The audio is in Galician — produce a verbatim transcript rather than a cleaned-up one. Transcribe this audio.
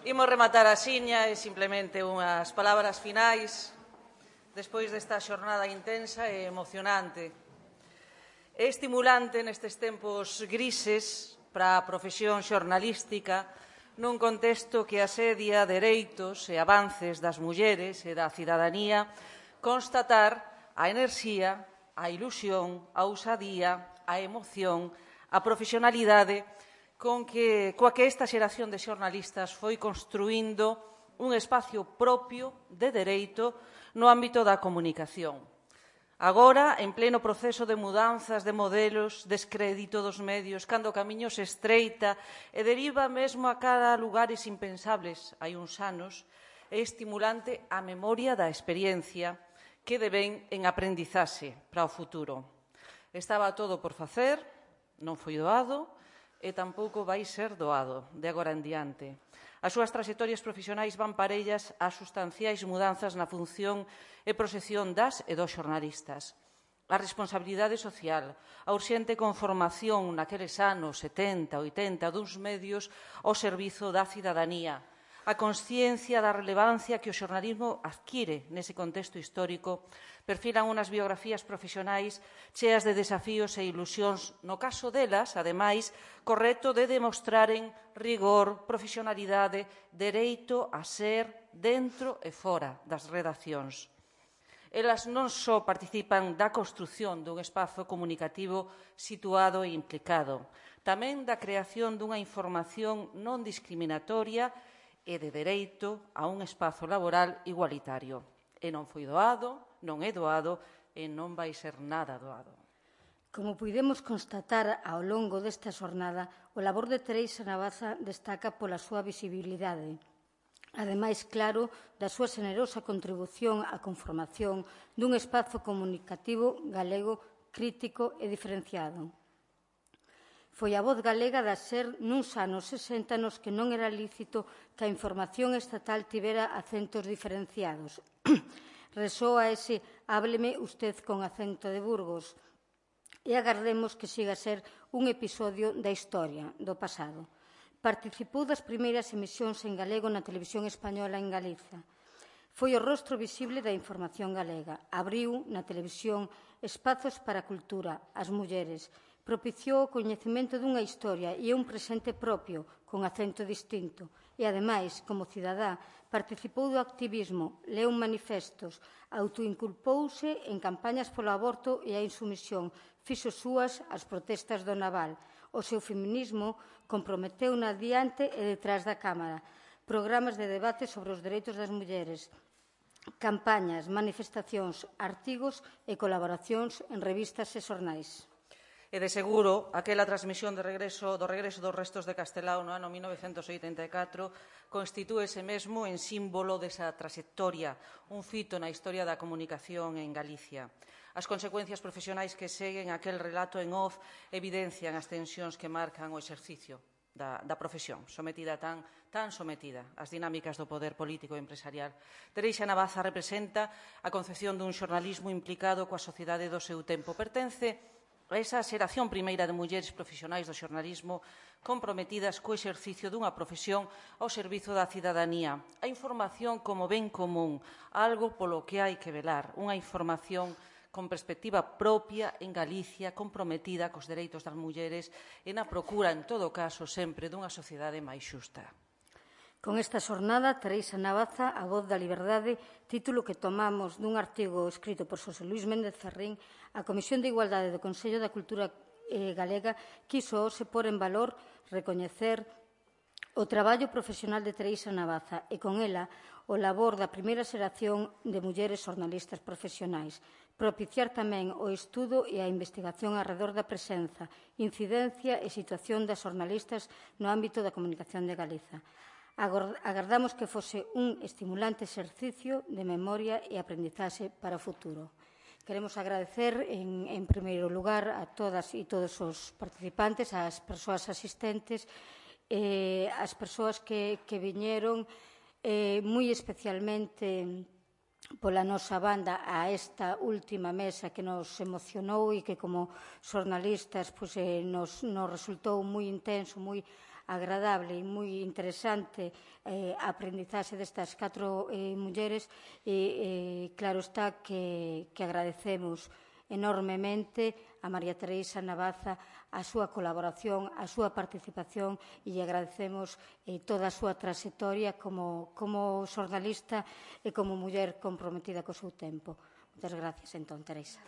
Imos rematar a xiña e simplemente unhas palabras finais despois desta xornada intensa e emocionante. É estimulante nestes tempos grises para a profesión xornalística nun contexto que asedia dereitos e avances das mulleres e da cidadanía constatar a enerxía, a ilusión, a ousadía, a emoción, a profesionalidade con que, coa que esta xeración de xornalistas foi construindo un espacio propio de dereito no ámbito da comunicación. Agora, en pleno proceso de mudanzas de modelos, descrédito dos medios, cando o camiño se estreita e deriva mesmo a cara a lugares impensables hai uns anos, é estimulante a memoria da experiencia que devén en aprendizaxe para o futuro. Estaba todo por facer, non foi doado e tampouco vai ser doado de agora en diante. As súas traxectorias profesionais van parellas ás sustanciais mudanzas na función e proxección das e dos xornalistas. A responsabilidade social, a urxente conformación naqueles anos setenta, oitenta duns medios ao servizo da cidadanía, a consciencia da relevancia que o xornalismo adquire nese contexto histórico, perfilan unhas biografías profesionais cheas de desafíos e ilusións, no caso delas, ademais, co reto de demostraren rigor, profesionalidade, dereito a ser dentro e fora das redaccións. Elas non só participan da construción dun espazo comunicativo situado e implicado, tamén da creación dunha información non discriminatoria e de dereito a un espazo laboral igualitario. E non foi doado, non é doado e non vai ser nada doado. Como puidemos constatar ao longo desta xornada, o labor de Teresa Navaza destaca pola súa visibilidade. Ademais, claro, da súa xenerosa contribución á conformación dun espazo comunicativo galego crítico e diferenciado. Foi a voz galega da SER nuns anos sesenta nos que non era lícito que a información estatal tivera acentos diferenciados. Resoa ese «hábleme usted con acento de Burgos» e agardemos que siga a ser un episodio da historia do pasado. Participou das primeiras emisións en galego na televisión española en Galiza. Foi o rostro visible da información galega. Abriu na televisión espazos para a cultura, as mulleres. Propiciou o coñecemento dunha historia e un presente propio, con acento distinto. E, ademais, como cidadá, participou do activismo, leu manifestos, autoinculpouse en campañas polo aborto e a insumisión, fixo súas as protestas do Naval. O seu feminismo comprometeu na diante e detrás da Cámara. Programas de debate sobre os dereitos das mulleres, campañas, manifestacións, artigos e colaboracións en revistas e xornais. E de seguro, aquela transmisión de regreso, do regreso dos restos de Castelao no ano mil novecentos oitenta e catro constitúese mesmo en símbolo desa traxectoria, un fito na historia da comunicación en Galicia. As consecuencias profesionais que seguen aquel relato en off evidencian as tensións que marcan o exercicio da, da profesión, sometida tan, tan sometida ás dinámicas do poder político e empresarial. Teresa Navaza representa a concepción dun xornalismo implicado coa sociedade do seu tempo. Pertence a esa xeración primeira de mulleres profesionais do xornalismo comprometidas co exercicio dunha profesión ao servizo da cidadanía. A información como ben común, algo polo que hai que velar, unha información con perspectiva propia en Galicia, comprometida cos dereitos das mulleres e na procura, en todo caso, sempre dunha sociedade máis xusta. Con esta xornada, Teresa Navaza, a voz da liberdade, título que tomamos dun artigo escrito por Xosé Luís Méndez Ferrín, a Comisión de Igualdade do Consello da Cultura Galega quiso hoxe pôr en valor, recoñecer o traballo profesional de Teresa Navaza e, con ela, o labor da primeira xeración de mulleres xornalistas profesionais, propiciar tamén o estudo e a investigación arredor da presenza, incidencia e situación das xornalistas no ámbito da comunicación de Galiza. Agardamos que fose un estimulante exercicio de memoria e aprendizaxe para o futuro. Queremos agradecer, en, en primeiro lugar, a todas e todos os participantes, ás persoas asistentes, eh, as persoas que, que viñeron, eh, moi especialmente pola nosa banda a esta última mesa que nos emocionou e que como xornalistas pues, eh, nos, nos resultou moi intenso, moi agradable e moi interesante eh, a aprendizaxe destas catro eh, mulleres e, eh, claro está que, que agradecemos enormemente a María Teresa Navaza a súa colaboración, a súa participación e agradecemos eh, toda a súa trayectoria como, como xornalista e como muller comprometida co seu tempo. Moitas gracias, entón, Teresa.